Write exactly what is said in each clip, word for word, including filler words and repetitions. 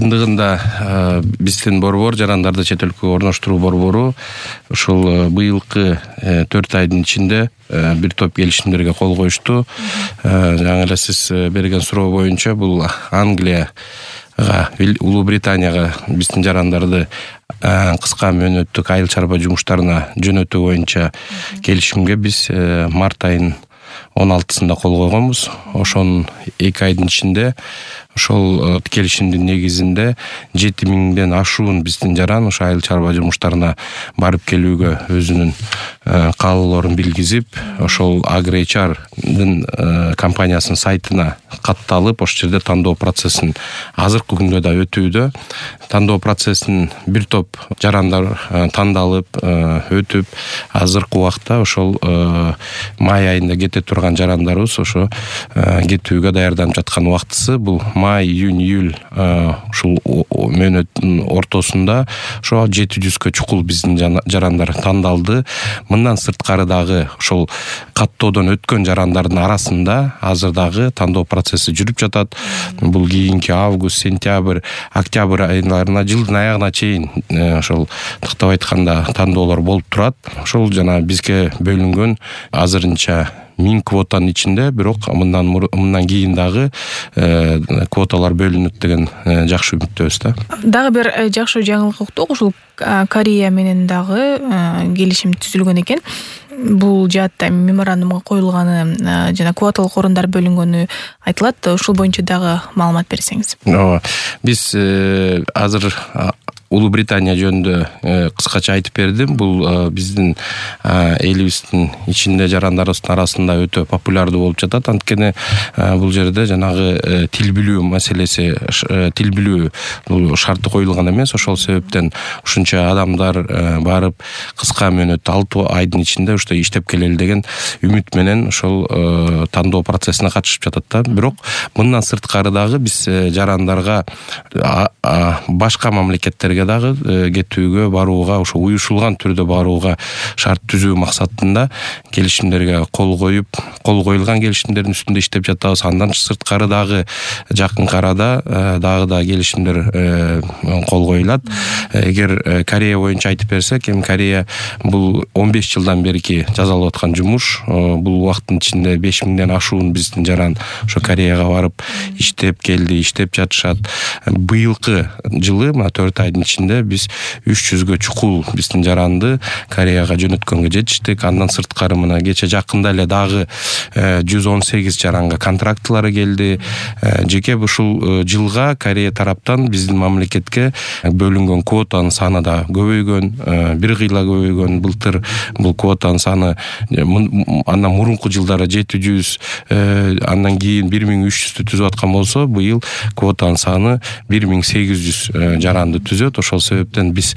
чындыгында биздин борбор жарандарды чет өлкөгө орноштуруу борбору ушул быйылкы төрт айдын ичинде бир топ келишимдерге кол коюшту. Жаңы эле сиз берген суроо боюнча бул Англияга, Улуу Британияга биздин жарандарды кыска мөөнөттүк айыл чарба жумуштарына жөнөтүү боюнча келишимге биз март айынын он алтысында кол койгонбуз. Ошонун эки айдын ичинде ошол келишимдин негизинде жети миңден ашуун биздин жаран ошо айыл чарба жумуштарына барып келүүгө өзүнүн каалоолорун билгизип, ошол AgriHRдын компаниясынын сайтына катталып, ошол жерде тандоо процессин азыркы күндө да өтүүдө. Тандоо процессин бир топ жарандар тандалып, өтүп, азыркы убакта ошол май айында кете турган жарандарыбыз ошо кетүүгө даярданып жаткан убактысы. Бул май, июнь, июль ушул мөөнөттүн ортосунда ошо жети жүзгө чукул биздин жарандар тандалды. Мындан сырткары дагы ошол каттоодон өткөн жарандардын арасында азыр дагы тандоо процесси жүрүп жатат. Бул кийинки август, сентябрь, октябрь айларына, жылдын аягына чейин ошол тыктап айтканда тандоолор болуп турат. Ошол жана бизге бөлүнгөн азырынча миң квотанын ичинде, бирок мындан мындан кийин дагы квоталар бөлүнөт деген жакшы үмүттөбүз да. Дагы бир жакшы жаңылык уктук, ушул Корея менен дагы келишим түзүлгөн экен. Бул жаатта меморандумга коюлганы жана квоталык орундар бөлүнгөнү айтылат. Ушул боюнча дагы маалымат берсеңиз. Ооба. Биз азыр Улуу Британия жөнүндө кыскача айтып бердим. Бул биздин элибиздин ичинде жарандарыбыздын арасында өтө популярдуу болуп жатат. Анткени бул жерде жанагы тил билүү маселеси, тил билүү бул шарты коюлган эмес. Ошол себептен ушунча адамдар барып кыска мөөнөттө алты айдын ичинде уште иштеп келели деген үмүт менен ошол тандоо процессине катышып жатат да. Бирок мындан сырткары дагы биз жарандарга башка мамлекеттерге дагы кетүүгө, барууга, ошо уюшулган түрдө барууга шарт түзүү максатында келишимдерге кол коюп, кол коюлган келишимдердин үстүндө иштеп жатабыз. Андан сырткары дагы жакынкы арада дагы да келишимдер кол коюлат. Эгер Корея боюнча айтып берсек, эми Корея бул он беш жылдан берки жасалып аткан жумуш. Бул убакыттын ичинде беш миңден ашуун биздин жаран ошо Кореяга барып иштеп келди, иштеп жатышат. Быйылкы жылы мына төрт айдын ичинде биз үч жүзгө чукул биздин жаранды Кореяга жөнөткөнгө жетиштик. Андан сырткары мына кече жакында эле дагы жүз он сегиз жаранга контрактылары келди. Жеке ушул жылга Корея тараптан биздин мамлекетке бөлүнгөн квотанын саны да көбөйгөн, бир кыйла көбөйгөн. Былтыр бул квотанын саны андан мурунку жылдары жети жүз, андан кийин бир миң үч жүздү түзүп аткан болсо, быйыл квотанын саны бир миң сегиз жүз жаранды түзөт. Ошол себептен биз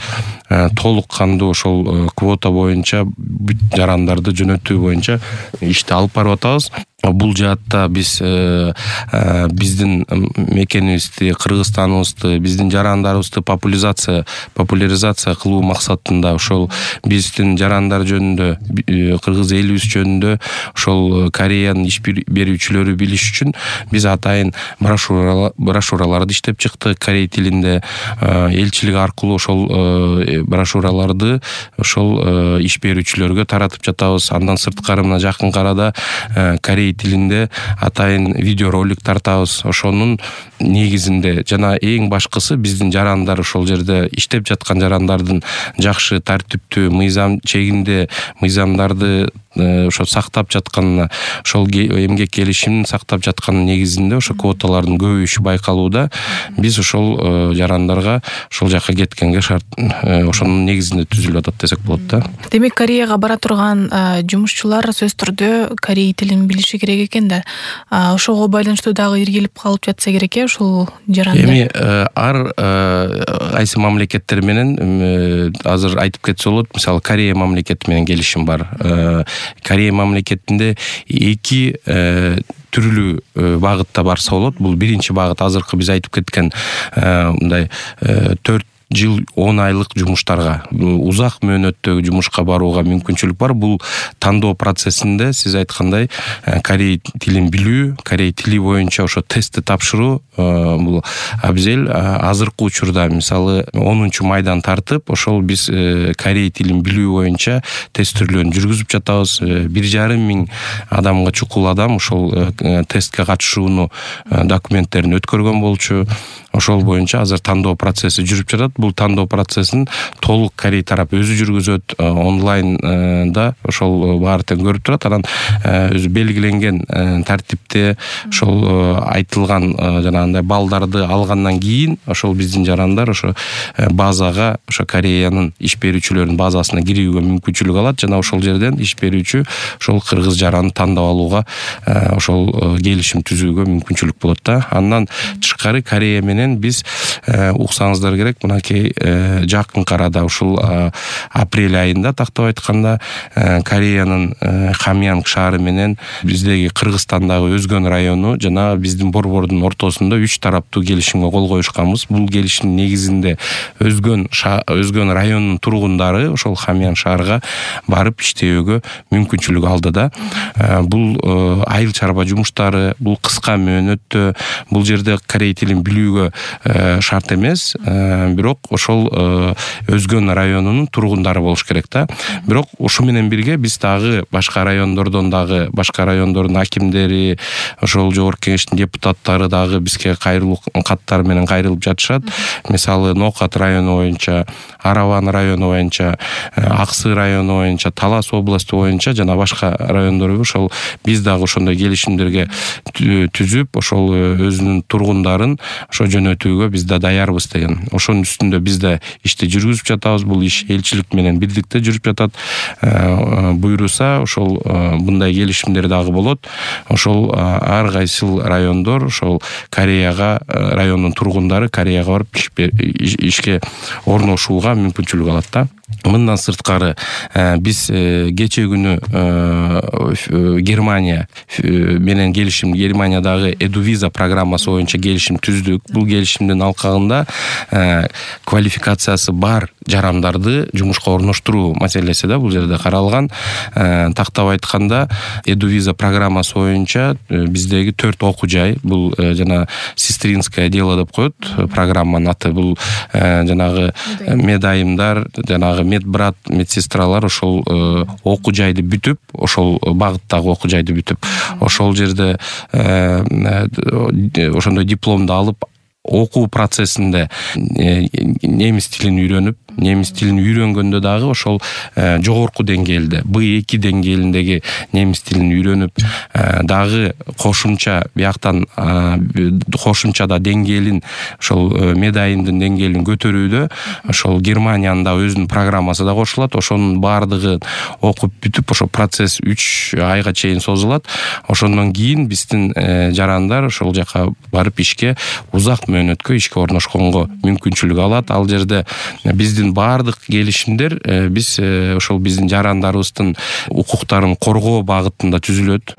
толук кандуу ошол квота боюнча бүт жарандарды жөнөтүү боюнча ишти алып барып атабыз. Бул жаатта биз биздин мекенибизди, Кыргызстаныбызды, биздин жарандарыбызды популяризация популяризация кылуу максатында ошол биздин жарандар жөнүндө, кыргыз элибиз жөнүндө ошол Кореянын иш берүүчүлөрү билиш үчүн биз атайын брошюраларды иштеп чыктык корей тилинде. Элчилик аркылуу ошол брошюраларды ошол иш берүүчүлөргө таратып жатабыз. Андан сырткары мына жакынкы арада корей тилинде атайын видеоролик тартабыз. Ошонун негизинде жана эң башкысы биздин жарандар ошол жерде иштеп жаткан жарандардын жакшы тартиптүү мыйзам чегинде мыйзамдарды ошо сактап жатканына, ошол эмгек келишимин сактап жаткан негизинде ошо квоталардын көбөйүшү байкалууда. Биз ошол жарандарга ошол жака кеткенге шарт ошонун негизинде түзүлүп атат десек болот да. Демек, Кореяга бара турган жумушчулар сөзсүз түрдө корей тилин билиши керек экен да. Ошого байланыштуу дагы иргилип калып жатса керек э ушул жарандар. Эми ар кайсы мамлекеттер менен азыр айтып кетсе болот. Мисалы, Корея мамлекети менен келишим бар. Корея мамлекетинде эки түрлүү багытта барса болот. Бул биринчи багыт азыркы биз айтып кеткен мындай төрт жыл он айлык жумуштарга, узак мөөнөттөгү жумушка барууга мүмкүнчүлүк бар. Бул тандоо процессинде сиз айткандай корей тилин билүү, корей тили боюнча ошо тестти тапшыруу бул абзел. Азыркы учурда мисалы онунчу майдан тартып, ошол биз корей тилин билүү боюнча тестирлөөнү жүргүзүп жатабыз. бир жарым миң адамга чукул адам ошол тестке катышууну документтерин өткөргөн болчу. Ошол боюнча азыр тандоо процесси жүрүп жатат. Бул тандоо процессин толук корей тарап өзү жүргүзөт, онлайнда ошол баары тең көрүп турат. Анан өзү белгиленген тартипте ошол айтылган жанагындай балдарды алгандан кийин ошол биздин жарандар ошо базага, ошо Кореянын иш берүүчүлөрүнүн базасына кирүүгө мүмкүнчүлүк алат жана ошол жерден иш берүүчү ошол кыргыз жараны тандап алууга, ошол келишим түзүүгө мүмкүнчүлүк болот да. Андан тышкары Корея менен биз уксаңыздар керек, мынакей жакынкы арада ушул апрель айында тактап айтканда Кореянын Хамьянг шаары менен биздеги Кыргызстандагы Өзгөн району жана биздин борбордун ортосунда үч тараптуу келишимге кол коюшканбыз. Бул келишимдин негизинде Өзгөн Өзгөн районунун тургундары ошол Хамьянг шаарга барып иштөөгө мүмкүнчүлүк алды да. Бул айыл чарба жумуштары, бул кыска мөөнөттө, бул жерде корей тилин билүүгө шарт эмес, бирок ошол Өзгөн районунун тургундары болуш керек да. Бирок ушу менен бирге биз дагы башка райондордон дагы, башка райондордун акимдери, ошол жогорку кеңештин депутаттары дагы бизге кайрылуу каттар менен кайрылып жатышат. Мисалы Нокат району боюнча, Араван району боюнча, Аксы району боюнча, Талас областы боюнча жана башка райондорго ошол биз дагы ошондой келишимдерге түзүп, ошол өзүнүн тургундарын ошо жөнөтүүгө биз да даярбыз деген. Ошонун үстүндө биз да ишти жүргүзүп жатабыз. Бул иш элчилик менен бирдикте жүрүп жатат. Буйруса ошол мындай келишимдер дагы болот. Ошол ар кайсыл райондор ошол Кореяга, райондун тургундары Кореяга барып ишке орношууга мүмкүнчүлүк алат да. Мындан сырткары биз кече күнү Германия менен келишим, Германиядагы Эдувиза программасы боюнча келишим түздүк. Бул келишимдин алкагында квалификациясы бар жарандарды жумушка орноштуруу маселеси да бул жерде каралган. Тактап айтканда Эдувиза программасы боюнча биздеги төрт окуу жай, бул жана сестринское дело деп коет программанын аты. Бул жанагы медайымдар, жанагы медбрат, медсестралар ошол окуу жайды бүтүп, ошол багыттагы окуу жайды бүтүп, ошол жерде ошондой дипломду алып, окуу процессинде немис тилин үйрөнүп, немис тилин үйрөнгөндө дагы ошол жогорку деңгээлде, бэ эки деңгээлиндеги немис тилин үйрөнүп, дагы кошумча бияктан кошумчада деңгээлин, ошол медайымдын деңгээлин көтөрүүдө ошол Германиянын да өзүнүн программасы да кошулат. Ошонун баардыгын окуп бүтүп, ошол процесс үч айга чейин созулат. Ошондон кийин биздин жарандар ошол жака барып ишке, узак мөөнөткө ишке орношконго мүмкүнчүлүк алат. Ал жерде биздин баардык келишимдер биз ошол биздин жарандарыбыздын укуктарын коргоо багытында түзүлөт.